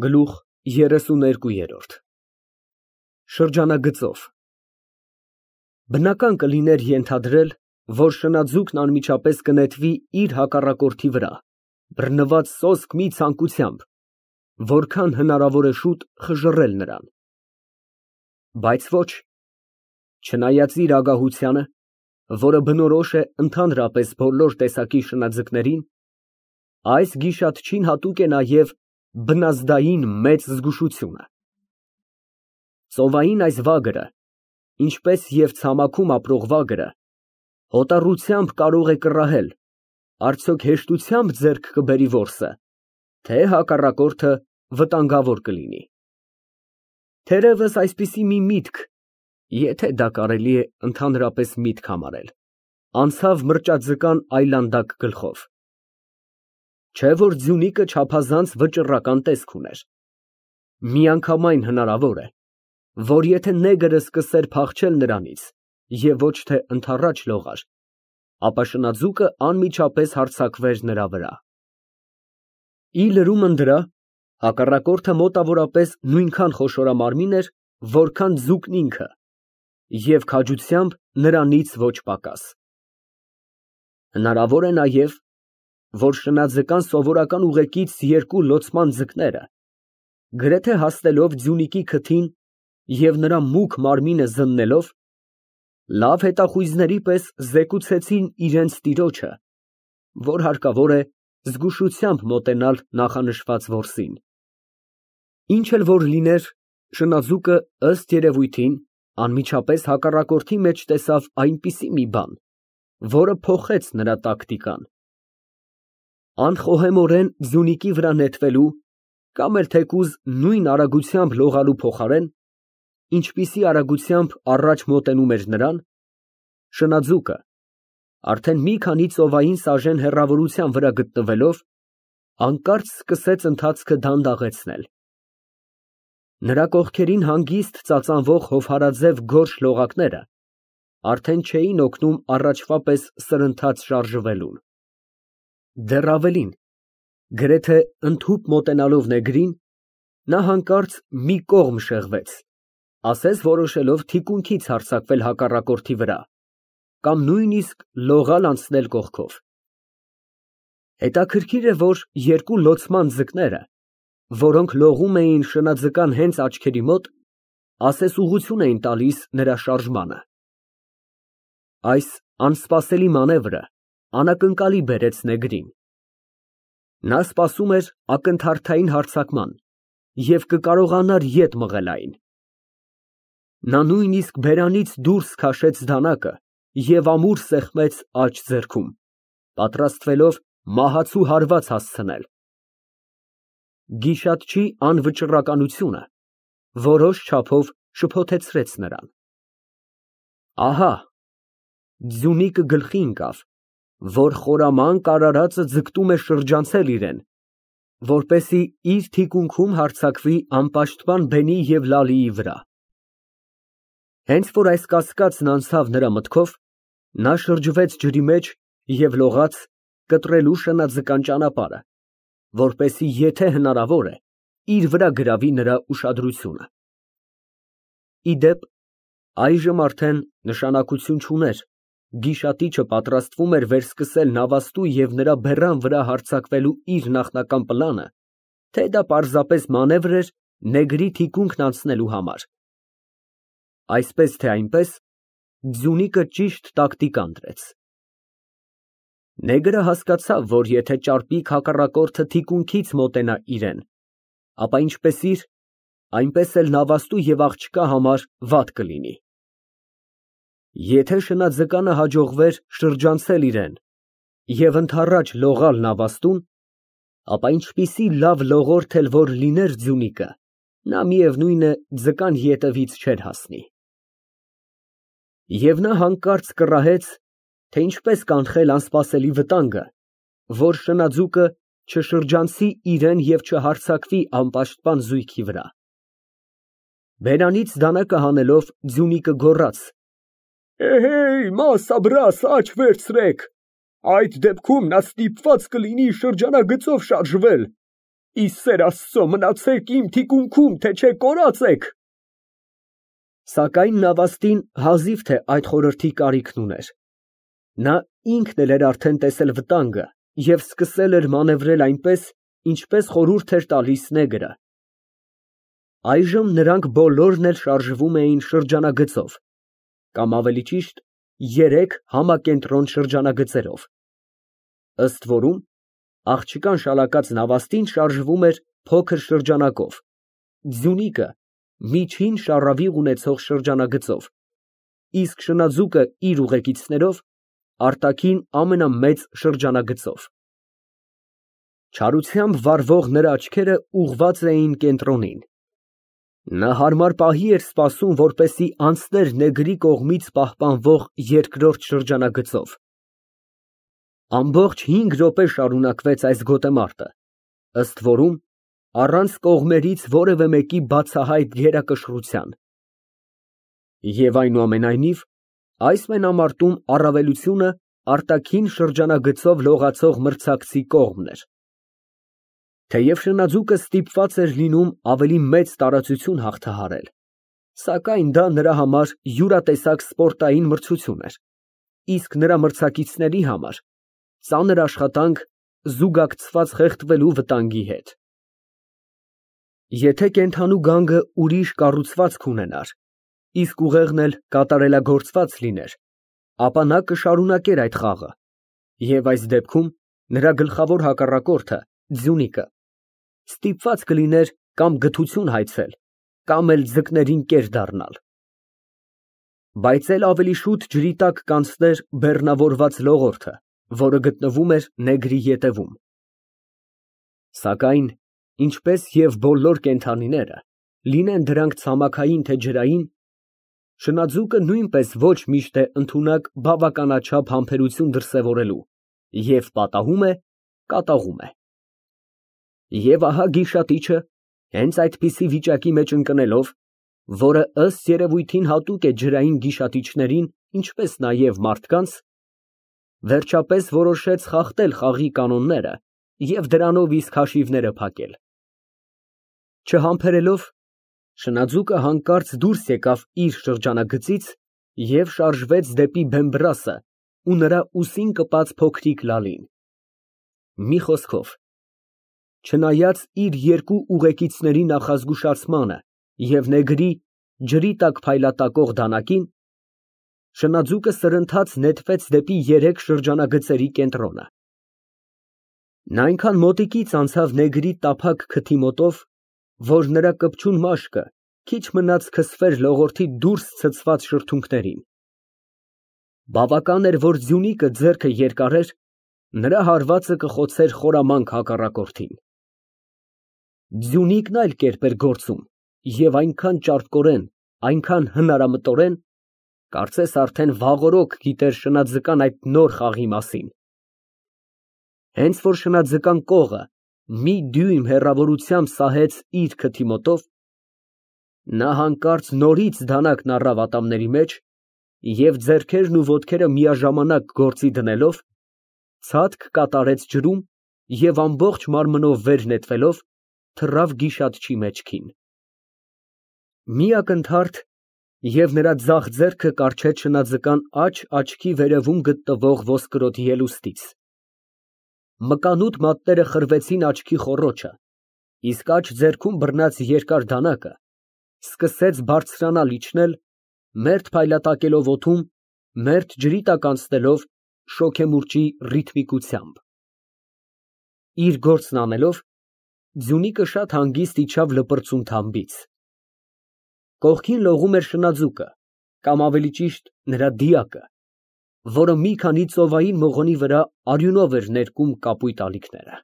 Գլուխ 32 Շրջանագծով Բնական կլիներ ենթադրել, որ շնաձուկն անմիջապես կնետվի իր հակառակորդի վրա, բռնված սոսկ մի ցանկությամբ, որքան հնարավոր է շուտ խժռել նրան։ Բայց ոչ, չնայած իր ագահությանը, որը բնորոշ է ընդհանրապես բոլոր տեսակի շնաձկներին, այս գիշատչին հատուկ է նաև բնազդային մեծ զգուշությունը։ Ծովային այս վագրը, ինչպես և ցամաքում ապրող վագրը, հոտառությամբ կարող է կռահել, արդյոք հեշտությամբ ձեռք կբերի որսը, թե հակառակորդը վտանգավոր կլինի։ Թերևս այսպիսի մի միտք, եթե դա կարելի է ընդհանրապես միտք համարել, անցավ մրճաձկան այլանդակ գլխով։ Չէ՞ որ ձյունիկը չափազանց վճռական տեսք ուներ։ Միանգամայն հնարավոր է, որ եթե նեգրը սկսեր փախչել նրանից և ոչ թե ընդառաջ լողար, ապա շնաձուկը անմիջապես հարձակվեր նրա վրա։ Ի լրումն դրա, հակառակորդը մոտավորապես նույնքան խոշորամարմին էր, որքան ձուկն ինքը, և քաջությամբ նրանից ոչ պակաս։ Հնարավոր է նաև, որ շնաձկան սովորական ուղեկից երկու լոցման ձկները, գրեթե հասնելով ձյունիկի քթին և նրա մուգ մարմինը զննելով, լավ հետախույզների պես զեկուցեցին իրենց տիրոջը, որ հարկավոր է զգուշությամբ մոտենալ նախանշված որսին։ Ինչ էլ որ լիներ, շնաձուկը, ըստ երևույթին, անմիջապես հակառակորդի մեջ տեսավ այնպիսի մի բան, որը փոխեց նրա տակտիկան։ Անխոհեմորեն ձյունիկի վրա նետվելու կամ էլ թեկուզ նույն արագությամբ լողալու փոխարեն, ինչպիսի արագությամբ առաջ մոտենում էր նրան, շնաձուկը, արդեն մի քանի ծովային սաժեն հեռավորության վրա գտնվելով, հանկարծ սկսեց ընթացքը դանդաղեցնել։ Նրա կողքերին հանգիստ ծածանվող հովհարաձև գորշ լողակները արդեն չէին օգնում առաջվա պես սրընթաց շարժվելուն։ Դեռ ավելին, գրեթե ընդհուպ մոտենալով նեգրին, նա հանկարծ մի կողմ շեղվեց, ասես որոշելով թիկունքից հարձակվել հակառակորդի վրա կամ նույնիսկ լողալ անցնել կողքով։ Հետաքրքիր է, որ երկու լոցման ձկները, որոնք լողում էին շնաձկան հենց աչքերի մոտ, ասես ուղղություն էին տալիս նրա շարժմանը։ Այս անսպասելի մանևրը անակնկալի բերեց նեգրին։ Նա սպասում էր ակնթարթային հարձակման և կկարողանար ետ մղել այն։ Նա նույնիսկ բերանից դուրս քաշեց դանակը և ամուր սեղմեց աջ ձեռքում, պատրաստվելով մահացու հարված հասցնել։ Գիշատչի անվճռականությունը որոշ չափով շփոթեցրեց նրան։ Ահա! Ձյունիկը գլխի ընկավ, որ խորամանկ արարածը ձգտում է շրջանցել իրեն, որպեսզի իր թիկունքում հարձակվի անպաշտպան բենի և Լալիի վրա։ Հենց որ այս կասկածն անցավ նրա մտքով, նա շրջվեց ջրի մեջ և լողաց կտրելու շնաձկան ճանապարհը, որպեսզի եթե հնարավոր է, իր վրա գրավի նրա ուշադրությունը։ Ի դեպ, այժմ արդեն նշանակություն չուներ գիշատիչը պատրաստվում էր վերսկսել նավաստու և նրա բեռան վրա հարձակվելու իր նախնական պլանը, թե դա պարզապես մանևր էր նեգրի թիկունքն անցնելու համար։ Այսպես թե այնպես, ձյունիկը ճիշտ տակտիկա ընտրեց։ Նեգրը հասկացավ, որ եթե ճարպիկ հակառակորդը թիկունքից մոտենա իրեն, ապա ինչպես իր, այնպես էլ նավաստու և աղջկա համար վատ կլինի։ Եթե շնաձկանը հաջողվեր շրջանցել իրեն և ընդառաջ լողալ նավաստուն, ապա ինչպիսի լավ լողորդ էլ որ լիներ ձյունիկը, նա միևնույն է ձկան ետևից չէր հասնի։ Եվ նա հանկարծ կռահեց, թե ինչպես կանխել անսպասելի վտանգը, որ շնաձուկը չշրջանցի իրան և չհարձակվի անպաշտպան զույգի վրա։ Բերանից դանակը հանելով ձյունիկը գոռաց. Էհեյ, մասաբրաս, աջ վերցրեք, այդ դեպքում նա ստիպված կլինի շրջանագծով շարժվել, ի սեր Աստծո, մնացեք իմ թիկունքում, թե չէ կորած եք։ Սակայն նավաստին հազիվ թե այդ խորհրդի կարիքն ուներ։ Նա ինքն էլ էր արդեն տեսել վտանգը և սկսել էր մանևրել այնպես, ինչպես խորհուրդ էր տալիս նեգրը։ Այժմ նրանք բոլորն էլ շարժվում էին շրջանագծով, կամ ավելի ճիշտ, 3 համակենտրոն շրջանագծերով։ Ըստ որում, աղջկան շալակած նավաստին շարժվում էր փոքր շրջանակով, ձյունիկը միջին շառավիղ ունեցող շրջանագծով, իսկ շնաձուկը իր ուղեկիցներով արտաքին ամենամեծ շրջանագծով։ Չարությամբ վառվող նրա աչքերը ուղղված էին կենտրոնին։ Նա հարմար պահի էր սպասում, որպեսզի անցներ նեգրի կողմից պահպանվող երկրորդ շրջանագծով։ Ամբողջ 5 րոպե շարունակվեց այս գոտեմարտը, ըստ որում, առանց կողմերից որևէ մեկի բացահայտ գերակշռության։ Եվ այնուամենայնիվ, այս մենամարտում առավելությունը արտաքին շրջանագծով լողացող մրցակցի կողմն էր։ Թեև շնաձուկը ստիպված էր լինում ավելի մեծ տարածություն հաղթահարել, սակայն դա նրա համար յուրատեսակ սպորտային մրցություն էր, իսկ նրա մրցակիցների համար ծանր աշխատանք զուգակցված խեղդվելու վտանգի հետ։ Եթե կենդանու գանգը ուրիշ կառուցվածք ունենար, իսկ ուղեղն էլ կատարելագործված լիներ, ապա նա կշարունակեր այդ խաղը, և այս դեպքում նրա գլխավոր հակառակորդը, ձյունիկը, ստիպված կլիներ կամ գթություն հայցել, կամ էլ ձկներին կեր դառնալ։ Բայց էլ ավելի շուտ ջրի տակ կանցներ բեռնավորված լողորդը, որը գտնվում էր նեգրի ետևում։ Սակայն, ինչպես և բոլոր կենդանիները, լինեն դրանք ցամաքային թե ջրային, շնաձուկը նույնպես ոչ միշտ է ընդունակ բավականաչափ համբերություն դրսևորելու և պատահում է, կատաղում է։ Եվ ահա գիշատիչը, հենց այդպիսի վիճակի մեջ ընկնելով, որը ըստ երևույթին հատուկ է ջրային գիշատիչներին, ինչպես նաև մարդկանց, վերջապես որոշեց խախտել խաղի կանոնները և դրանով իսկ հաշիվները փակել։ Չհամբերելով, շնաձուկը հանկարծ դուրս եկավ իր շրջանագծից և շարժվեց դեպի Բեմբռասը ու նրա ուսին կպած փոքրիկ լալին։ Մի խոսքով, չնայած իր երկու ուղեկիցների նախազգուշացմանը և նեգրի ջրի տակ փայլատակող դանակին, շնաձուկը սրընթաց նետվեց դեպի 3 շրջանագծերի կենտրոնը։ Նա այնքան մոտիկից անցավ նեգրի տափակ քթի մոտով, որ նրա կպչուն մաշկը քիչ մնաց քսվեր լողորդի դուրս ցցված շրթունքներին։ Բավական էր, որ ձյունիկը ձեռքը երկարեր, նրա հարվածը կխոցեր խորամանկ հակառակորդին։ Ձյունիկն այլ կերպ էր գործում և այնքան ճարպկորեն, այնքան հնարամտորեն, կարծես արդեն վաղօրոք գիտեր շնաձկան այդ նոր խաղի մասին։ Հենց որ շնաձկան կողը մի դյույմ հեռավորությամբ սահեց իր քթի մոտով, նա հանկարծ նորից դանակն առավ ատամների մեջ և ձեռքերն ու ոտքերը միաժամանակ գործի դնելով, ցատկ կատարեց ջրում և ամբողջ մարմնով վեր նետվելով, թռավ գիշատչի մեջքին։ Մի ակնթարթ, և նրա ձախ ձեռքը կառչեց շնաձկան աջ աչքի վերևում գտնվող ոսկրոտ ելուստից։ Մկանուտ մատները խրվեցին աչքի խոռոչը, իսկ աջ ձեռքում բռնած երկար դանակը սկսեց բարձրանալ իջնել, մերթ փայլատակելով օդում, մերթ ջրի տակ անցնելով շոգեմուրջի ռիթմիկությամբ։ Իր գործն անելով, ձյունիկը շատ հանգիստ իջավ լպրծուն թամբից։ Կողքին լողում էր շնաձուկը, կամ ավելի ճիշտ նրա դիակը, որը մի քանի ծովային մղոնի վրա արյունով էր ներկում կապույտ ալիքները։